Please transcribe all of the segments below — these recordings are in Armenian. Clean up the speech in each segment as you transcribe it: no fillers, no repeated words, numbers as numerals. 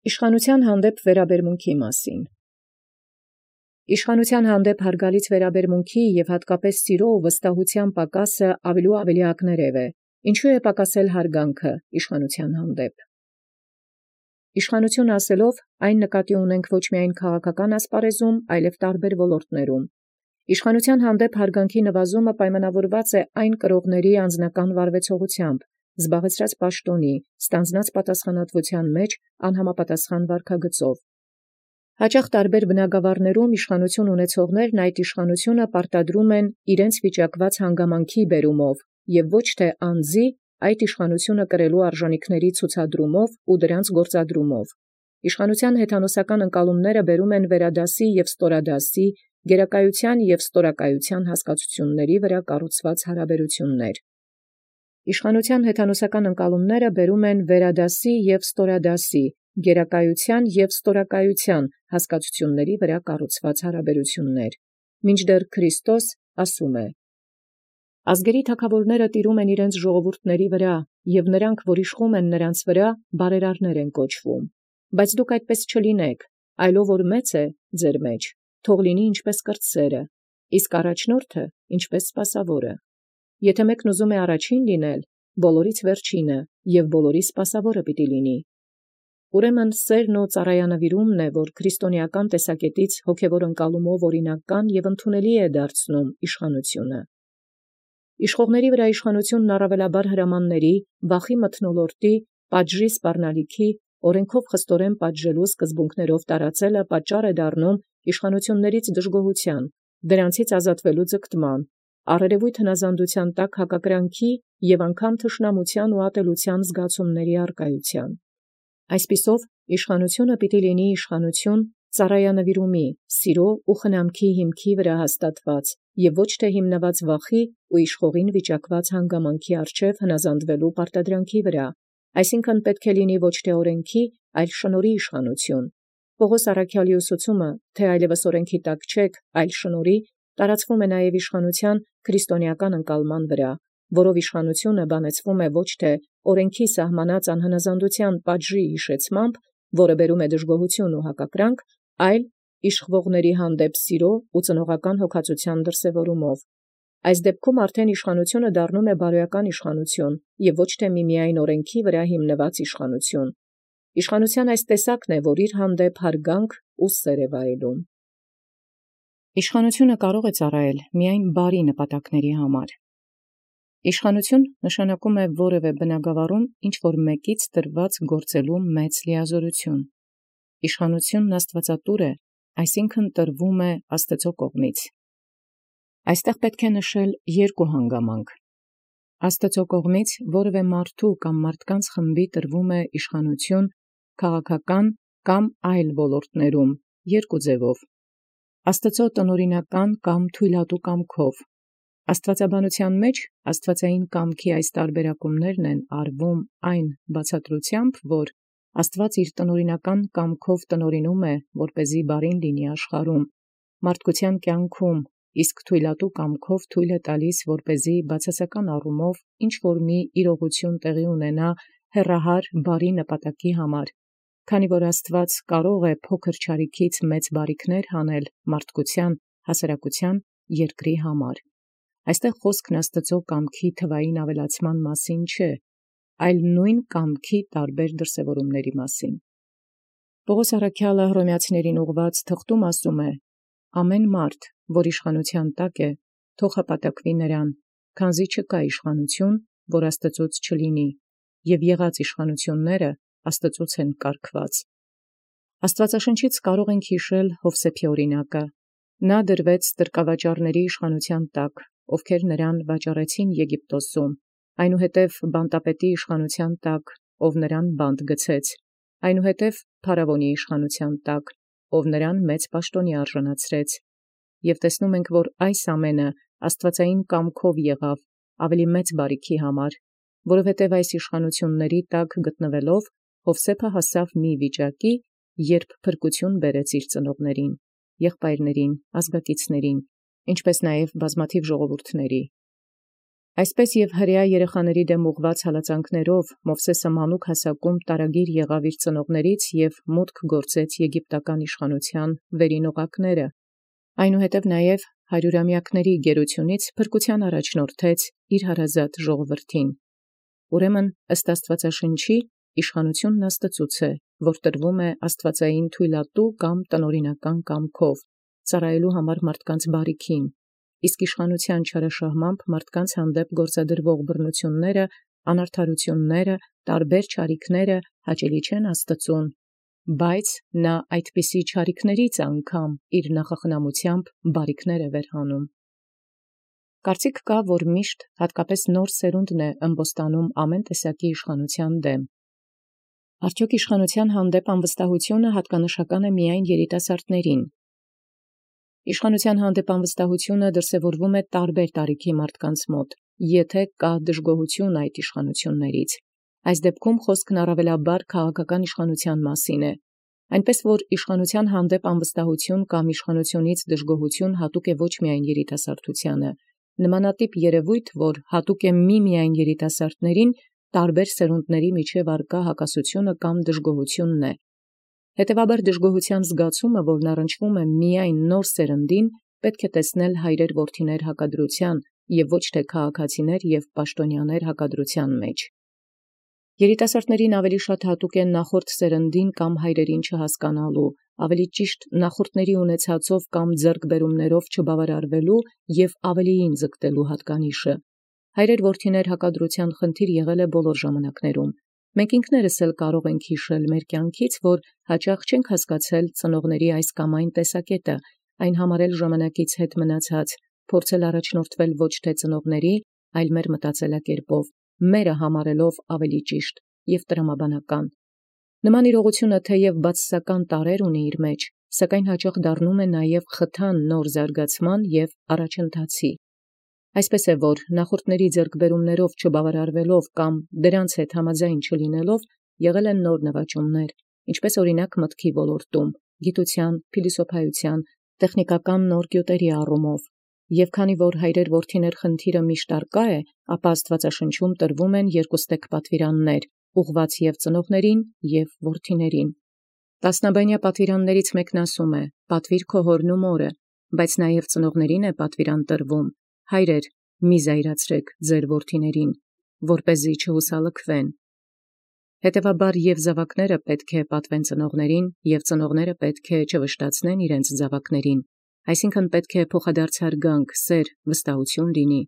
Իշխանութեան հանդեպ վերաբերմունքի մասին։ Իշխանութեան հանդեպ յարգալից վերաբերմունքի և հատկապես սիրո ու վստահութեան պակասը ավելի ակներև է։ Ինչու է պակասել յարգանքը իշխանութեան հանդեպ։ Իշխանութիւն ասելով այն նկատի ունենք ոչ միայն քաղաքական ասպարեզում, այլև տարբեր ոլորտներում։ Իշխանութեան հանդեպ յարգանքի նվազումը պայմանավորված է այն կրողացն անձնական վարուեցողութեամբ, զբաղեցրած պաշտոնի, ստանձնած պատասխանատվութեան մեջ անհամապատասխան վարքագծով։ Հաճախ տարբեր բնագավառներում իշխանութիւն ունեցողներն այդ իշխանութիւնը պարտադրում են իրենց վիճակված հանգամանքի բերումով և ոչ թե անձի այդ իշխանութիւնը կրելու արժանիքների ցուցադրումով ու դրանց գործադրումով։ Իշխանութեան հեթանոսական ընկալումները բերում են վերադասի և ստորադասի, գերակայութեան և ստորակայութեան հասկացութիւնացն վրա կառուցված հարաբերութիւններ։ Իշխանութեան հեթանոսական ընկալումները բերում են վերադասի և ստորադասի, գերակայութեան և ստորակայութեան հասկացութիւնացն վրա կառուցված հարաբերութիւններ։ Մինչդեռ Քրիստոս ասում է. «Ազգերի թագաւորները տիրում են իրենց ժողովուրդների վրա, և նրանք, որ իշխում են նրանց վրա, բարերարներ են կոչվում. բայց դուք այդպես չլինեք, այլով որ մեծ է ձեր մեջ, թող լինի ինչպես կրտսերը, իսկ առաջնորդը ինչպես սպասաւորը։ Եթե մեկն ուզում է առաջին լինել, բոլորից վերջինը և բոլորի սպասաւորը պիտի լինի»։ Ուրեմն սերն ու ծառայանվիրումն է, որ քրիստոնեական տեսակետից հոգևոր ընկալումով օրինական և ընդունելի է դարձնում իշխանութիւնը։ Իշխողների վրա իշխանութիւնն առավելաբար հրամանների, վախի մթնոլորտի, պատժի սպառնալիքի, օրենքով խստորեն պատժելու սկզբունքներով տարածելը պատճառ է դառնում իշխանութիւններից դժգոհութեան, դրանցից ազատվելու ձգտման, առերևույթ հնազանդութեան տակ հակակրանքի և անգամ թշնամութեան ու ատելութեան զգացումների արկայութեան։ Այսպիսով իշխանութիւնը պիտի լինի իշխանութիւն ծառայանվիրումի, սիրո ու խնամքի հիմքի վրա հաստատված և ոչ թե հիմնված վախի ու իշխողին վիճակված հանգամանքի առջև հնազանդվելու պարտադրանքի վրա, այսինքն պետք է լինի ոչ թե օրենքի, այլ շնորհի իշխանութիւն։ Պողոս առաքյալի ուսուցումը, թե այլևս օրենքի տակ չեք, այլ շնորհի, տարածվում է նաև իշխանութեան քրիստոնեական ընկալման վրա, որով իշխանութիւնը բանեցվում է ոչ թե օրենքի սահմանած անհնազանդութեան պատժի յիշեցմամբ, որը բերում է դժգոհութիւն ու հակակրանք, այլ իշխողաց հանդեպ սիրո ու ծնողական հոգածութեան դրսևորումով։ Այս դեպքում արդեն իշխանութիւնը դառնում է բարոյական իշխանութիւն և ոչ թե միմիայն օրենքի վրա հիմնված իշխանութիւն։ Իշխանութեան այս տեսակն է, որ իր հանդեպ յարգանք ու սեր է վայելում։ Իշխանութիւնը կարող է ծառայել միայն բարի նպատակների համար։ Իշխանութիւն նշանակում է որևէ բնագավառում ինչ-որ մեկից տրված գործելու մեծ լիազորութիւն։ Իշխանութիւնն աստուածատուր է, այսինքն տրվում է Աստուծոյ կողմից։ Այստեղ պետք է նշել երկու հանգամանք։ Աստուծոյ կողմից որևէ մարդու կամ մարդկանց խմբի տրվում է իշխանութիւն քաղաքական կամ այլ ոլորտներում երկու ձևով. Աստուծոյ տնօրինական կամ թույլատու կամքով։ Աստուածաբանութեան մեջ աստուածային կամքի այս տարբերակումներն են արվում այն բացատրութեամբ, որ Աստուած իր տնօրինական կամքով տնօրինում է, որպեսզի բարին լինի աշխարհում, մարդկության կյանքում, իսկ թույլատու կամքով թույլ է տալիս, որպեսզի բացասական առումով ինչ-որ մի իրողութիւն տեղի ունենա հեռահար բարի նպատակի համար, քանի որ Աստուած կարող է փոքր չարիքից մեծ բարիքներ հանել մարդկության, հասարակության, երկրի համար։ Այստեղ խոսքն Աստուծոյ կամքի թվային ավելացման մասին չէ, այլ նույն կամքի տարբեր դրսևորումների մասին։ Պողոս առաքյալը Հռոմեացիներին ուղղված թղթում ասում է. «Ամեն մարդ, որ իշխանութեան տակ է, թող հպատակվի նրան, քանզի չկա իշխանութիւն, որ Աստուծոց չլինի, և եղած իշխանութիւնները Աստուծոց են կարգված»։ Աստուածաշնչից կարող ենք յիշել Յովսեփի օրինակը։ Նա դրվեց տրկավաճառաց իշխանութեան տակ, ովքեր նրան վաճառեցին Եգիպտոսում, այնուհետև բանտապետի իշխանութեան տակ, ով նրան բանտ գցեց, այնուհետև փարաւոնի իշխանութեան տակ, ով նրան մեծ պաշտոնի արժանացրեց։ Եւ տեսնում ենք, որ այս ամենը աստուածային կամքով եղավ ավելի մեծ բարիքի համար, որովհետև այս իշխանութիւնների տակ գտնվելով Յովսեփը հասավ մի վիճակի, երբ փրկություն բերեց իր ծնողներին, եղբայրներին, ազգակիցներին, ինչպես նաև բազմաթիվ ժողովուրդների։ Այսպես և հրեա երեխաների դեմ ուղղված հալածանքներով Մովսէսը մանուկ հասակում տարագիր եղավ իր ծնողաց և մուտք գործեց Եգիպտական իշխանութեան վերին օղակները. այնուհետև նաև հարյուրամյակների գերութիւնից փրկութեան առաջնորդեց իր հարազատ ժողովրդին։ Ուրեմն ըստ Աստուածաշնչի իշխանութիւնն Աստուծոյ է, որ տրվում է աստուածային թույլատու կամ տնօրինական կամքով, ծառայելու համար մարդկանց բարիքին, իսկ իշխանութեան չարաշահմամբ մարդկանց հանդեպ գործադրվող բռնութիւնները, անարդարութիւնները, տարբեր չարիքները հաճելի չեն Աստուծուն, բայց նա այդպիսի չարիքներից անգամ իր նախախնամութեամբ բարիքներ է վերհանում։ Կարծիք կա, որ միշտ հատկապես նոր սերունդն է ըմբոստանում ամեն տեսակի իշխանութեան դեմ։ Արդյոք իշխանութեան հանդեպ անվստահութիւնը հատկանշական է միայն երիտասարդներին։ Իշխանութեան հանդեպ անվստահութիւնը դրսևորվում է տարբեր տարիքի մարդկանց մոտ, եթե կա դժգոհութիւն այդ իշխանութիւններից։ Այս դեպքում խոսքն առավելաբար քաղաքական իշխանութեան մասին է։ Այնպես որ իշխանութեան հանդեպ անվստահութիւն կամ իշխանութիւնից դժգոհութիւն հատուկ է ոչ միայն երիտասարդութեանը, նմանատիպ երևույթ, որ հատուկ է միմիայն երիտասարդներին, տարբեր սերունդների միջև առկա հակասությունը կամ դժգոհութիւնն է։ Հետևաբար դժգոհութեան զգացումը, որն առնչվում է միայն նոր սերնդին, պետք է տեսնել հայրեր որդիներ հակադրութեան և ոչ թե քաղաքացիներ և պաշտոնյաներ հակադրութեան մեջ։ Երիտասարդներին ավելի շատ հատուկ է նախորդ սերնդին կամ հայրերին չհասկանալու, ավելի ճիշտ նախորդների ունեցածով կամ ձեռքբերումներով չբավարարվելու և ավելիին ձգտելու հատկանիշը։ Հայրեր որդիներ հակադրութեան խնդիր եղել է բոլոր ժամանակներում։ Մենք ինքներս էլ կարող ենք հիշել մեր կյանքից, որ հաճախ չենք հասկացել ծնողների այս կամ այն տեսակետը, այն համարել ժամանակից հետ մնացած, փորձել առաջնորդվել ոչ թե ծնողների, այլ մեր մտածելակերպով, մերը համարելով ավելի ճիշտ և տրամաբանական։ Նման իրողությունը թեև բացասական տարրեր ունի իր մեջ, սակայն հաճախ դառնում է նաև խթան նոր զարգացման և առաջընթացի։ Այսպես է, որ նախորդների ձեռքբերումներով չբավարարվելով կամ դրանց հետ համաձայն չլինելով եղել են նոր նվաճումներ, ինչպես օրինակ մտքի ոլորտում, գիտության, փիլիսոփայության, տեխնիկական նոր գյուտերի առումով։ Եւ քանի որ հայրեր որդիներ խնդիրը միշտ առկա է, ապա Աստուածաշնչում տրվում են երկուստեք պատվիրաններ, ուղղված եւ ծնողներին եւ որդիներին։ Տասնաբանյա պատվիրաններից մեկն ասում է. «Պատվիր քո հորն ու մորը», բայց նաև ծնողներին է պատվիրան տրվում. «Հայրեր, մի զայրացրեք ձեր որդիներին, որպեսզի չհուսալքվեն»։ Հետևաբար եւ զավակները պետք է պատվեն ծնողներին, եւ ծնողները պետք է չվշտացնեն իրենց զավակներին, այսինքն պետք է փոխադարձարգանք, սեր, վստահություն լինի։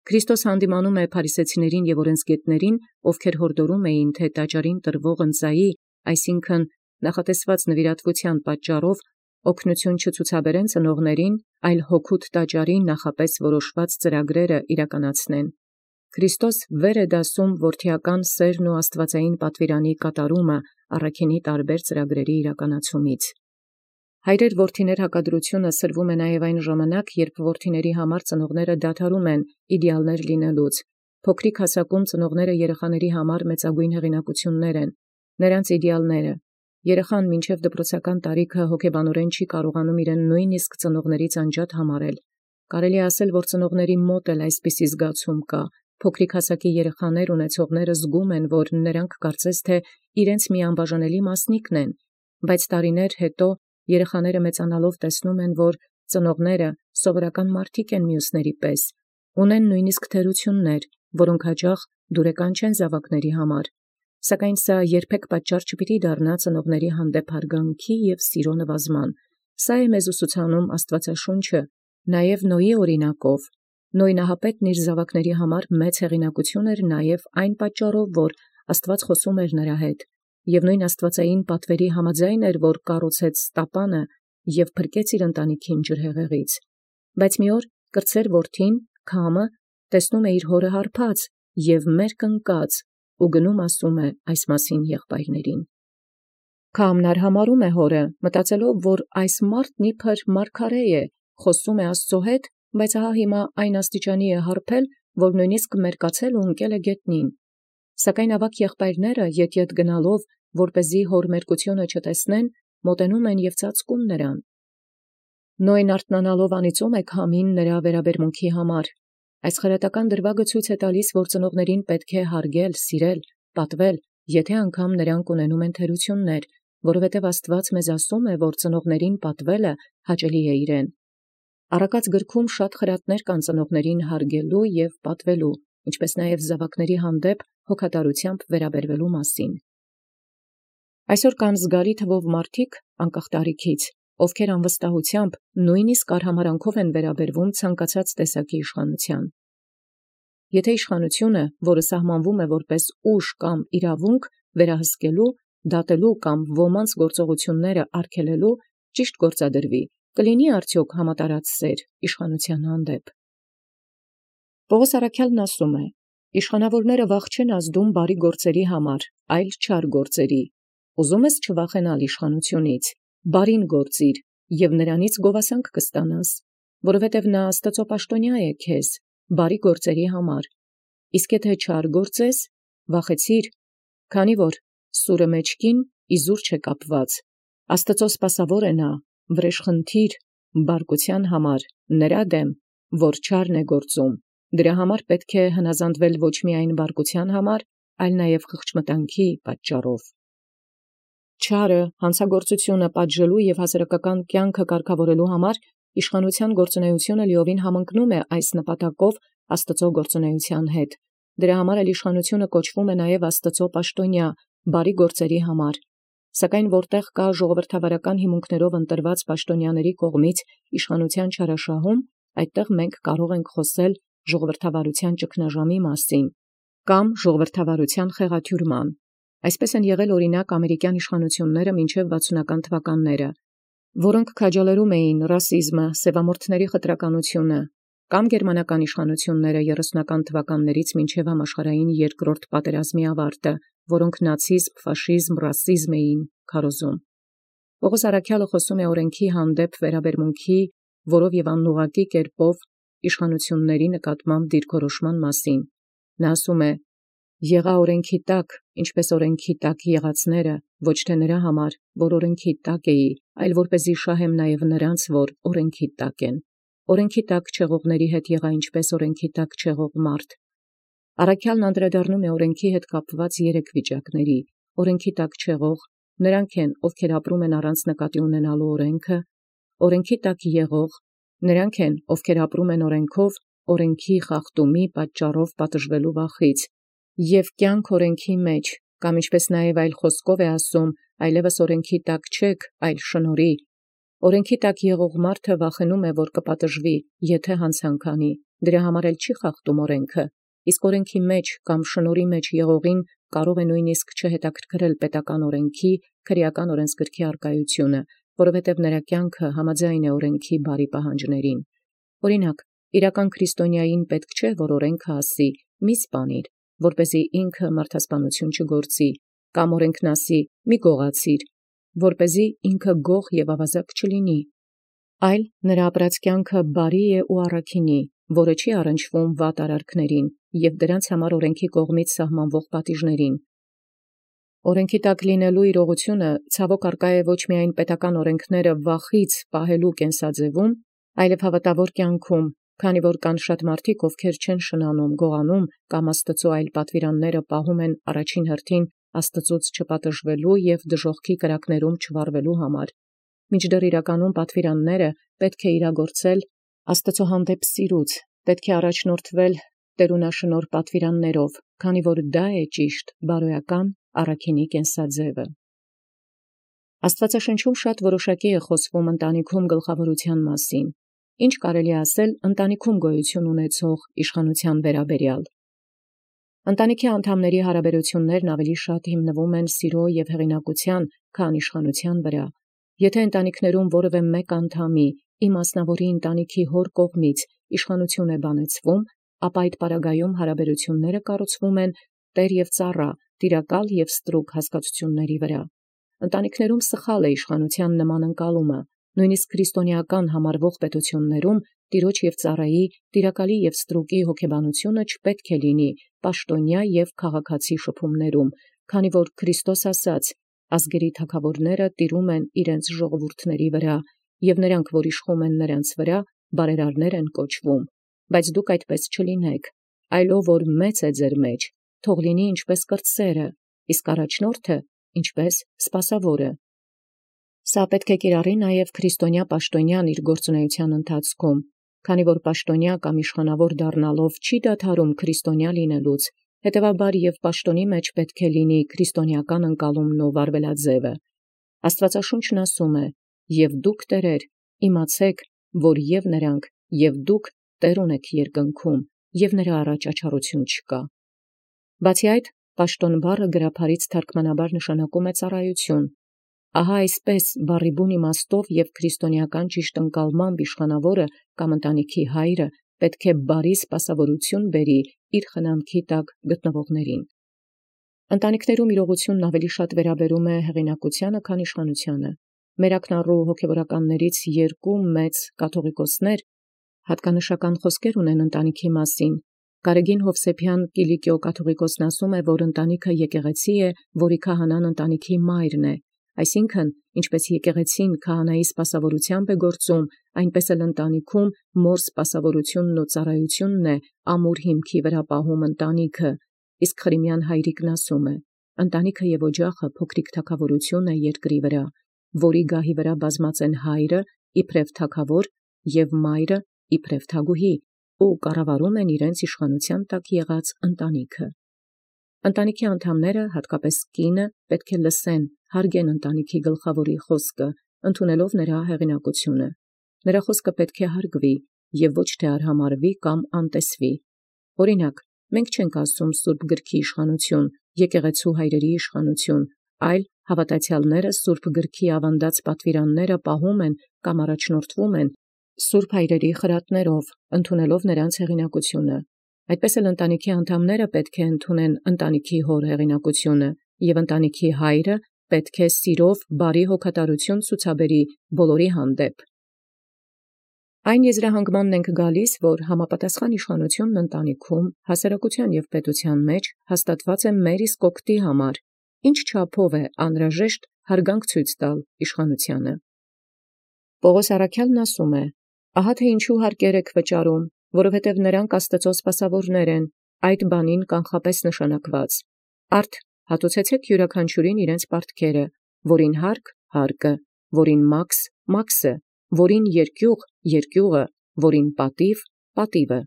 Քրիստոս հանդիմանում է փարիսեցիներին եւ օրենսգետներին, ովքեր հորդորում էին, թե տաճարին տրվող ընծայի, այսինքն նախատեսված նվիրատվության պատճառով օգնություն չցուցաբերեն ծնողներին, այլ հոգուտ տաճարին նախապես որոշված ծրագրերը իրականացնեն։ Քրիստոս վեր է դասում որդիական սերն ու աստվածային պատվիրանի կատարումը առաքինի տարբեր ծրագրերի իրականացումից։ Հայրեր որդիներ հակադրությունը սրվում է նաև այն ժամանակ, երբ որդիների համար ծնողները դադարում են իդեալներ լինելուց։ Փոքրիկ հասակում ծնողները երեխաների համար մեծագույն հեղինակություններ են, նրանց իդեալները։ Երեխան մինչև դպրոցական տարիքը հոգեբանորեն չի կարողանում իրեն նույնիսկ ծնողներից անջատ համարել։ Կարելի է ասել, որ ծնողների մոտ էլ այսպիսի զգացում կա։ Փոքրիկ հասակի երեխաներ ունեցողները զգում են, որ նրանք կարծես թե իրենց մի անբաժանելի մասնիկն են, բայց տարիներ հետո երեխաները մեծանալով տեսնում են, որ ծնողները սովորական մարդիկ են մյուսների պես, ունեն նույնիսկ թերություններ, որոնք հաճախ դուրեկան չեն զավակների համար, սակայն սա երբեք պատճառ չպիտի դառնա ծնողների հանդեպ հարգանքի և սիրո նվազման։ Սա է մեզ ուսուցանում Աստվածաշունչը, նաև Նոյի օրինակով։ Նոյ նահապետն իր զավակների համար մեծ հեղինակություն էր նաև այն պատճառով, որ Աստված խոսում էր նրա հետ, և նույն աստվածային պատվերի համաձայն էր, որ կառուցեց տապանը և փրկեց իր ընտանիքին ջրհեղեղից։ Բայց մի օր կրտսեր որդին, Քամը, տեսնում է իր հորը հարբած և մերկ ընկած ու գնում ասում է այս մասին եղբայրներին։ Քամն արհամարհում է հորը, մտածելով, որ այս մարդն իբր մարգարե է, խոսում է Աստծո հետ, բայց ահա հիմա այն աստիճանի է հարբել, որ նույնիսկ մերկացել ու ընկել է գետնին։ Սակայն ավագ եղբայրները ետ գնալով, որպեսզի հոր մերկությունը չտեսնեն, մոտենում են և ծածկում նրան։ Նոյն արթնանալով անիծում է Քամին նրա վերաբերմունքի համար, Այս խրատական դրվագը ցույց է տալիս, որ ծնողներին պետք է հարգել, սիրել, պատվել, եթե անգամ նրանք ունենում են թերություններ, որովհետև Աստված մեզ ասում է, որ ծնողներին պատվելը հաճելի է իրեն։ Առակաց գրքում շատ խրատներ կան ծնողներին հարգելու և պատվելու, ինչպես նաև զավակների հանդեպ հոգատարությամբ վերաբերվելու մասին։ Այսօր կան զգալի թվով մարդիկ, անկախ տարիքից, ովքեր անվստահությամբ, նույնիսկ արհամարհանքով են վերաբերվում ցանկացած տեսակի իշխանության։ Եթե իշխանությունը, որը սահմանվում է որպես ուժ կամ իրավունք, վերահսկելու, դատելու կամ ոմանց գործողությունները արգելելու, ճիշտ գործադրվի, կլինի արդյոք համատարած սեր իշխանության հանդեպ։ Պողոս առաքյալն ասում է. «Իշխանավորները վախ չեն ազդում բարի գործերի համար, այլ չար գործերի։ Ուզում ես չվախենալ իշխանությունից, բարին գործիր, և նրանից գովասանք կստանաս, որովհետև նա Աստծո պաշտոնյա է քեզ, բարի գործերի համար։ Իսկ եթե չար գործես, վախեցիր, քանի որ սուրը մեջքին իզուր չէ կապված, Աստծո սպասավոր է նա, վրեժխնդիր, բարկության համար, նրա դեմ, որ չարն է գործում, դրա համար պետք է հնազանդվել ոչ միայն բարկության համար, այլ նաև խղճմտանքի պատճառով»։ Չարը, հանցագործությունը պատժելու և հասարակական կյանքը կարգավորելու համար իշխանության գործունեությունը լիովին համընկնում է այս նպատակով Աստծո գործունեության հետ։ Դրա համար էլ իշխանությունը կոչվում է նաև Աստծո պաշտոնյա, բարի գործերի համար։ Սակայն որտեղ կա ժողովրդավարական հիմունքներով ընտրված պաշտոնյաների կողմից իշխանության չարաշահում, այդտեղ մենք կարող ենք խոսել ժողովրդավարության ճգնաժամի մասին կամ ժողովրդավարության խեղաթյուրման։ Այսպես են եղել օրինակ ամերիկյան իշխանությունները մինչև 60-ական թվականները, որոնք քաջալերում էին ռասիզմը, սևամորթների խտրականությունը, կամ գերմանական իշխանությունները 30-ական թվականներից մինչև համաշխարհային երկրորդ պատերազմի ավարտը, որոնք նացիզմ, ֆաշիզմ, ռասիզմ էին քարոզում։ Պողոս առաքյալը խոսում է օրենքի հանդեպ վերաբերմունքի, որով և անուղղակի կերպով իշխանությունների նկատմամբ դիրքորոշման մասին։ Նա ասում է. «Եղա օրենքի տակ, ինչպես օրենքի տակ եղածները, ոչ թե նրա համար, որ օրենքի տակ էի, այլ որպեսզի շահեմ նաև նրանց, որ օրենքի տակ են։ Օրենքի տակ չեղողների հետ եղա ինչպես օրենքի տակ չեղող մարդ»։ Առաքյալն անդրադառնում է օրենքի հետ կապված 3 վիճակների. օրենքի տակ չեղող, նրանք են, ովքեր ապրում են առանց նկատի ունենալու օրենքը, օրենքի տակ եղող, նրանք են, ովքեր ապրում են օրենքով, օրենքի խախտումի պատճառով պատժվելու վախից, և կյանք օրենքի մեջ, կամ ինչպես նաև այլ խոսքով է ասում, այլևս օրենքի տակ չեք, այլ շնորհի։ Օրենքի տակ եղող մարդը վախենում է, որ կպատժվի, եթե հանցանք անի, դրա համար էլ չի խախտում օրենքը, իսկ օրենքի մեջ կամ շնորհի մեջ եղողին կարող է նույնիսկ չհետաքրքրել պետական օրենքի, քրեական օրենսգրքի առկայությունը, որովհետև նրա կյանքը համաձայն է օրենքի բարի պահանջներին։ Օրինակ, իրական քրիստոնյային պետք չէ, որ օրենքը ասի՝ մի սպանիր, որպեսզի ինքը մարդասպանություն չգործի, կամ օրենքն ասի՝ մի գողացիր, որպեսզի ինքը գող և ավազակ չլինի, այլ նրա ապրած կյանքը բարի է ու առաքինի, որը չի առնչվում վատ արարքներին և դրանց համար օրենքի կողմից սահմանվող պատիժներին։ Օրենքի տակ լինելու իրողությունը ցավոք առկա է ոչ միայն պետական օրենքները վախից պահելու կենսաձևում, այլև հավատավոր կյանքում, քանի որ կան շատ մարդիկ, ովքեր չեն շնանում, գողանում կամ Աստծո այլ պատվիրանները պահում են առաջին հերթին Աստծուց չպատժվելու և դժոխքի կրակներում չվարվելու համար, մինչդեռ իրականում պատվիրանները պետք է իրագործել Աստծո հանդեպ սիրուց, պետք է առաջնորդվել տերունաշնորհ պատվիրաններով, քանի որ դա է ճիշտ, բարոյական, առաքինի կենսաձևը։ Աստվածաշնչում շատ որոշակի է խոսվում ընտանիքում գլխավորության մասին։ Ինչ կարելի ասել ընտանիքում գոյություն ունեցող իշխանության վերաբերյալ։ Ընտանիքի անդամների հարաբերություններն ավելի շատ հիմնվում են սիրո և հեղինակության, քան իշխանության վրա։ Եթե ընտանիքներում որևէ մեկ անդամի, ի մասնավորի ընտանիքի հոր կողմից իշխանություն է բանեցվում, ապա այդ պարագայում հարաբերությունները կառուցվում են տեր և ծառա, տիրակալ և ստրուկ հասկացությունների վրա։ Ընտանիքներում սխալ է իշխանության նման ընկալումը, նույնիսկ քրիստոնեական համարվող պետություններում տիրոջ և ծառայի, տիրակալի և ստրուկի հոգեբանությունը չպետք է լինի պաշտոնյա և քաղաքացի շփումներում, քանի որ Քրիստոս ասաց. «Ազգերի թագավորները տիրում են իրենց ժողովուրդների վրա, և նրանք, որ իշխում են նրանց վրա, բարերարներ են կոչվում»։ Բայց դուք այդպես չլինեք, այլով որ մեծ է ձեր մեջ, թող լինի ինչպես կրտսերը, իսկ առաջնորդը ինչպես սպասավորը։ Սա պետք է կիրառի նաև քրիստոնյա պաշտոնյան իր գործունեության ընթացքում, քանի որ պաշտոնյա կամ իշխանավոր դառնալով չի դադարում քրիստոնյա լինելուց, հետևաբար և պաշտոնի մեջ պետք է լինի քրիստոնեական ընկալումն ու վարվելաձևը։ Աստվածաշունչն ասում է. «Եվ դուք տերեր, իմացեք, որ և նրանք, և դուք տեր ունեք երկնքում, և նրա առաջ աչառություն չկա»։ Բացի այդ, պաշտոն բառը գրաբարից թարգմանաբար նշանակում է ծառայություն։ Ահա այսպես բառի բուն իմաստով և քրիստոնեական ճիշտ ընկալմամբ իշխանավորը կամ ընտանիքի հայրը պետք է բարի սպասավորություն բերի իր խնամքի տակ գտնվողներին։ Ընտանիքներում իրողությունն ավելի շատ վերաբերում է հեղինակությանը, քան իշխանությանը։ Մեր ակնառու հոգևորականներից երկու մեծ կաթողիկոսներ հատկանշական խոսքեր ունեն ընտանիքի մասին։ Գարեգին Հովսեփյան Կիլիկիո կաթողիկոսն ասում է, որ ընտանիքը եկեղեցի է, որի քահանան ընտանիքի մայրն է, այսինքն, ինչպես եկեղեցին քահանայի սպասավորությամբ է գործում, այնպես էլ ընտանիքում մոր սպասավորությունն ու ծառայությունն է ամուր հիմքի վրա պահում ընտանիքը, իսկ Խրիմյան հայրիկն ասում է. ընտանիքը և օջախը փոքրիկ թագավորություն է երկրի վրա, որի գահի վրա բազմած են հայրը իբրև թագավոր և մայրը իբրև թագուհի, ու կառավարում են իրենց իշխանության տակ եղած ընտանիքը։ Ընտանիքի անդամները, հատկապես կինը, պետք է լսեն, հարգեն ընտանիքի գլխավորի խոսքը, ընդունելով նրա հեղինակությունը։ Նրա խոսքը պետք է հարգվի և ոչ թե արհամարհվի կամ անտեսվի։ Օրինակ, մենք չենք ասում Սուրբ գրքի իշխանություն, եկեղեցու հայրերի իշխանություն, այլ հավատացյալները Սուրբ գրքի ավանդած պատվիրանները պահում են կամ առաջնորդվում են Սուրբ հայրերի խրատներով, ընդունելով նրանց հեղինակությունը։ Այդպես էլ ընտանիքի անդամները պետք է ընդունեն ընտանիքի հոր հեղինակությունը, և ընտանիքի հայրը պետք է սիրով բարի հոգատարություն ցուցաբերի բոլորի հանդեպ։ Այն եզրահանգմանն ենք գալիս, որ համապատասխան իշխանությունն ընտանիքում, հասարակության և պետության մեջ հաստատված է մեր իսկ օգտի համար, ինչ չափով է անհրաժեշտ հարգանք ցույց տալ իշխանությանը։ Պողոս առաքյալն ասում է. «Ահա թե ինչու հարկեր եք վճարում, որովհետև նրանք Աստծո սպասավորներ են, այդ բանին կանխապես նշանակված։ Արդ հատուցեցեք յուրաքանչյուրին իրենց պարտքերը, որին հարկ հարկը, որին մաքս մաքսը, որին երկյուղ երկյուղը, որին պատիվ պատիվը»։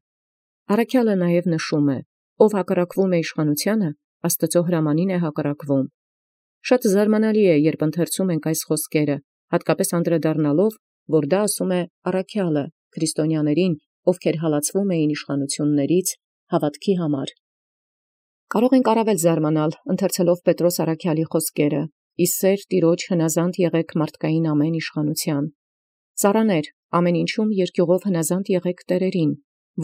Առաքյալը նաև նշում է. «Ով հակառակվում է իշխանությանը, Աստծո հրամանին է հակառակվում»։ Շատ զարմանալի է, երբ ընթերցում ենք այս խոսքերը, հատկապես անդրադառնալով, որ դա ասում է առաքյալը քրիստոնյաներին, ովքեր հալածվում էին իշխանություններից հավատքի համար։ Կարող ենք առավել զարմանալ, ընթերցելով Պետրոս առաքյալի խոսքերը. «Ի սեր Տիրոջ հնազանդ եղեք մարդկային ամեն իշխանության»։ Ծառաներ, ամեն ինչում երկյուղով հնազանդ եղեք տերերին,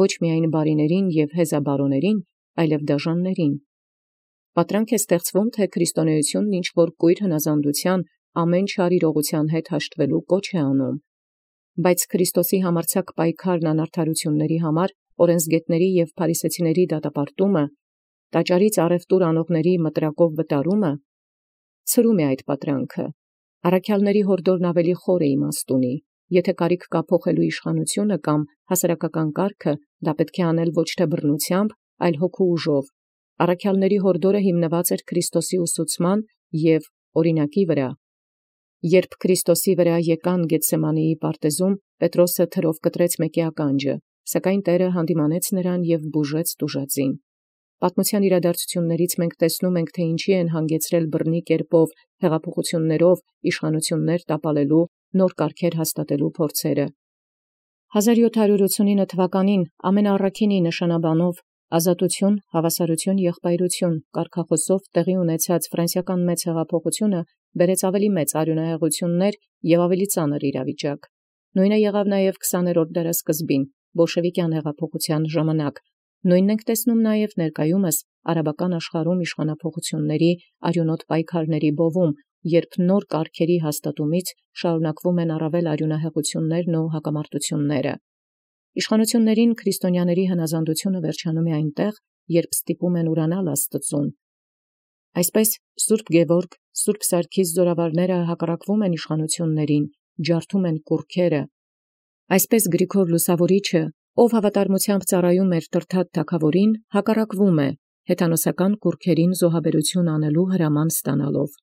ոչ միայն բարիներին և հեզաբարոներին, այլև դաժաններին։ Պատրանք է ստեղծվում, թե քրիստոնեությունն ինչ որ կույր հնազանդության ամեն չար իրողության հետ հաշտվելու կոչ է անում։ Բայց Քրիստոսի համարձակ պայքարն անարդարությունների համար, օրենսգետների և փարիսեցիների դատապարտումը, տաճարից առևտուր անողների մտրակով վտարումը ցրում է այդ պատրանքը։ Առաքյալների հորդորն ավելի խոր է իմաստ ունի։ Եթե կարիք կա փոխելու իշխանությունը կամ հասարակական կարգը, դա պետք է անել ոչ թե բռնությամբ, այլ հոգու ուժով։ Առաքյալների հորդորը հիմնված էր Քրիստոսի ուսուցման և օրինակի վրա։ Երբ Քրիստոսի վրա եկան Գեթսեմանեի պարտեզում, Պետրոսը թրով կտրեց մեկի ականջը, սակայն Տերը հանդիմանեց նրան և բուժեց տուժածին։ Պատմության իրադարձություններից մենք տեսնում ենք, թե ինչի են հանգեցրել բռնի կերպով, հեղափոխություններով իշխանություններ տապալելու, նոր կարգեր հաստատելու փորձերը։ 1789 թվականին ամենաառաքինի նշանաբանով «Ազատություն, հավասարություն, եղբայրություն» կարգախոսով տեղի ունեցած ֆրանսիական մեծ հեղափոխությունը բերեց ավելի մեծ արյունահեղություններ և ավելի ծանր իրավիճակ։ Նույնը եղավ նաև 20-րդ դարասկզբին բոլշևիկյան հեղափոխության ժամանակ։ Նույնն ենք տեսնում նաև ներկայումս արաբական աշխարհում իշխանափոխությունների արյունոտ պայքարների բովում, երբ նոր կարգերի հաստատումից շարունակվում են առավել արյունահեղություններն ու հակամարտությունները։ Իշխանություններին քրիստոնյաների հնազանդությունը վերջանում է այնտեղ, երբ ստիպում են ուրանալ Աստծուն։ Այսպես Սուրբ Գևորգ, Սուրբ Սարգիս զորավարները հակառակվում են իշխանություններին, ջարդում են կուռքերը։ Այսպես Գրիգոր Լուսավորիչը Ով հավատարմութեամբ ծառայում տրթած թագաւորին, հակառակվում է հեթանոսական կուռքերին զոհաբերութիւն անելու հրաման ստանալով։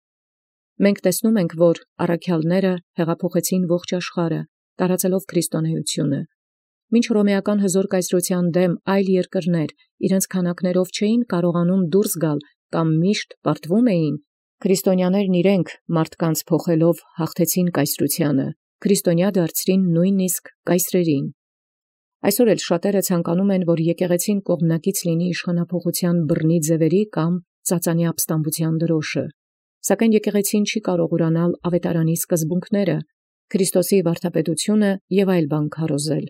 Մենք տեսնում ենք, որ առաքյալները հեղափոխեցին ողջ աշխարհը, տարածելով քրիստոնեությունը։ Մինչ հռոմեական հզոր կայսրութեան դեմ այլ երկրներ իրենց քանակներով չէին կարողանում դուրս գալ կամ միշտ պարտվում էին, քրիստոնյաներն իրենք մարդկանց փոխելով հաղթեցին կայսրութիանը, քրիստոնյա դարձրին նույնիսկ կայսրերին։ Այսօր էլ շատերը ցանկանում են, որ եկեղեցին կողմնակից լինի իշխանափոխության բռնի ձևերի կամ ծածանի ապստամբության դրոշը։ Սակայն եկեղեցին չի կարող ուրանալ ավետարանի սկզբունքները, Քրիստոսի վարդապետությունը եւ այլ բան քարոզել։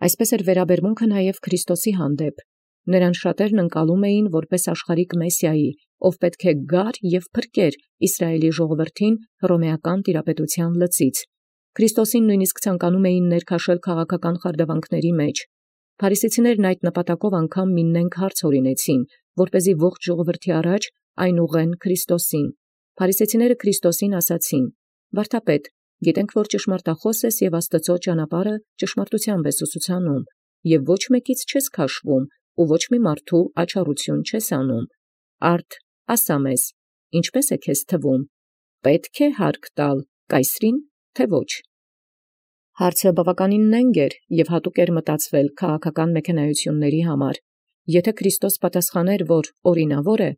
Այսպես էր վերաբերմունքը նաև Քրիստոսի հանդեպ։ Նրան շատերն ընկալում էին որպես աշխարհիկ Մեսիայի, ով պետք է գար եւ փրկեր Իսրայելի ժողովրդին հռոմեական տիրապետության լծից։ Քրիստոսին նույնիսկ ցանկանում էին ներքաշել քաղաքական խարդավանքների մեջ։ Փարիսեցիներն այդ նպատակով անգամ մի նենգ հարց օրինեցին, որպեսզի ողջ ժողովրդի առաջ այն ուղղեն Քրիստոսին։ Փարիսեցիները Քրիստոսին ասացին. «Վարդապետ, գիտենք, որ ճշմարտախոս ես եւ Աստծո ճանապարհը ճշմարտութեամբ ես ուսուցանում, եւ ոչ մեկից չես քաշվում, ու ոչ մի մարդու աչառություն չես անում։ Արդ ասա մեզ, ինչպե՞ս է քեզ թվում, պետք է հարկ տալ կայսրին, թե ոչ»։ Հարցը բավականին նենգ էր եւ հատուկ էր մտածվել քաղաքական մեքենայությունների համար։ Եթե Քրիստոս պատասխաներ, որ օրինավոր է,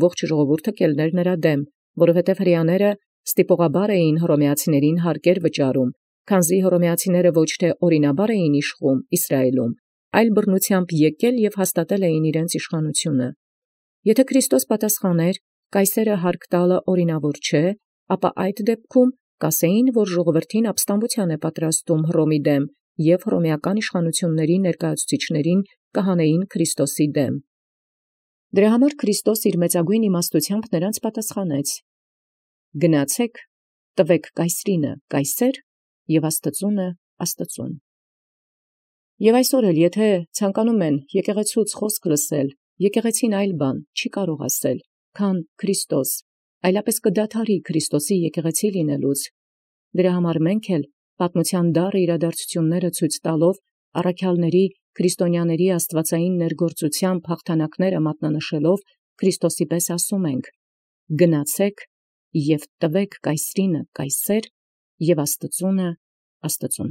ողջ ժողովուրդը կելներ նրա դեմ, որովհետև հրեաները ստիպողաբար էին հռոմեացիներին հարկեր վճարում, քանզի հռոմեացիները ոչ թե օրինաբար էին իշխում Իսրայելում, այլ բռնությամբ եկել եւ հաստատել էին իրենց իշխանությունը։ Եթե Քրիստոս պատասխաներ, կայսերը հարկ տալը օրինավոր չէ, ապա այդ դեպքում կասեին, որ ժողովրդին ապստամբության է պատրաստում Հռոմի դեմ եւ հռոմեական իշխանությունների ներկայացուցիչներին կհանեին Քրիստոսի դեմ։ Դրա համար Քրիստոս իր մեծագույն իմաստությամբ նրանց պատասխանեց. «Գնացեք, տվեք կայսրինը կայսեր եւ Աստծունը Աստծուն»։ Եւ այսօր էլ եթե ցանկանում են եկեղեցուց խոսք լսել, եկեղեցին այլ բան չի կարող ասել, քան Քրիստոս, այլապես կդադարի Քրիստոսի եկեղեցի լինելուց։ Դրա համար մենք էլ պատմության դառը իրադարձությունները ցույց տալով առաքյալների քրիստոնյաների աստվածային ներգործությամբ հաղթանակները մատնանշելով Քրիստոսի պես ասում ենք. «Գնացեք եւ տվեք կայսրինը կայսեր եւ Աստծունը Աստծուն»։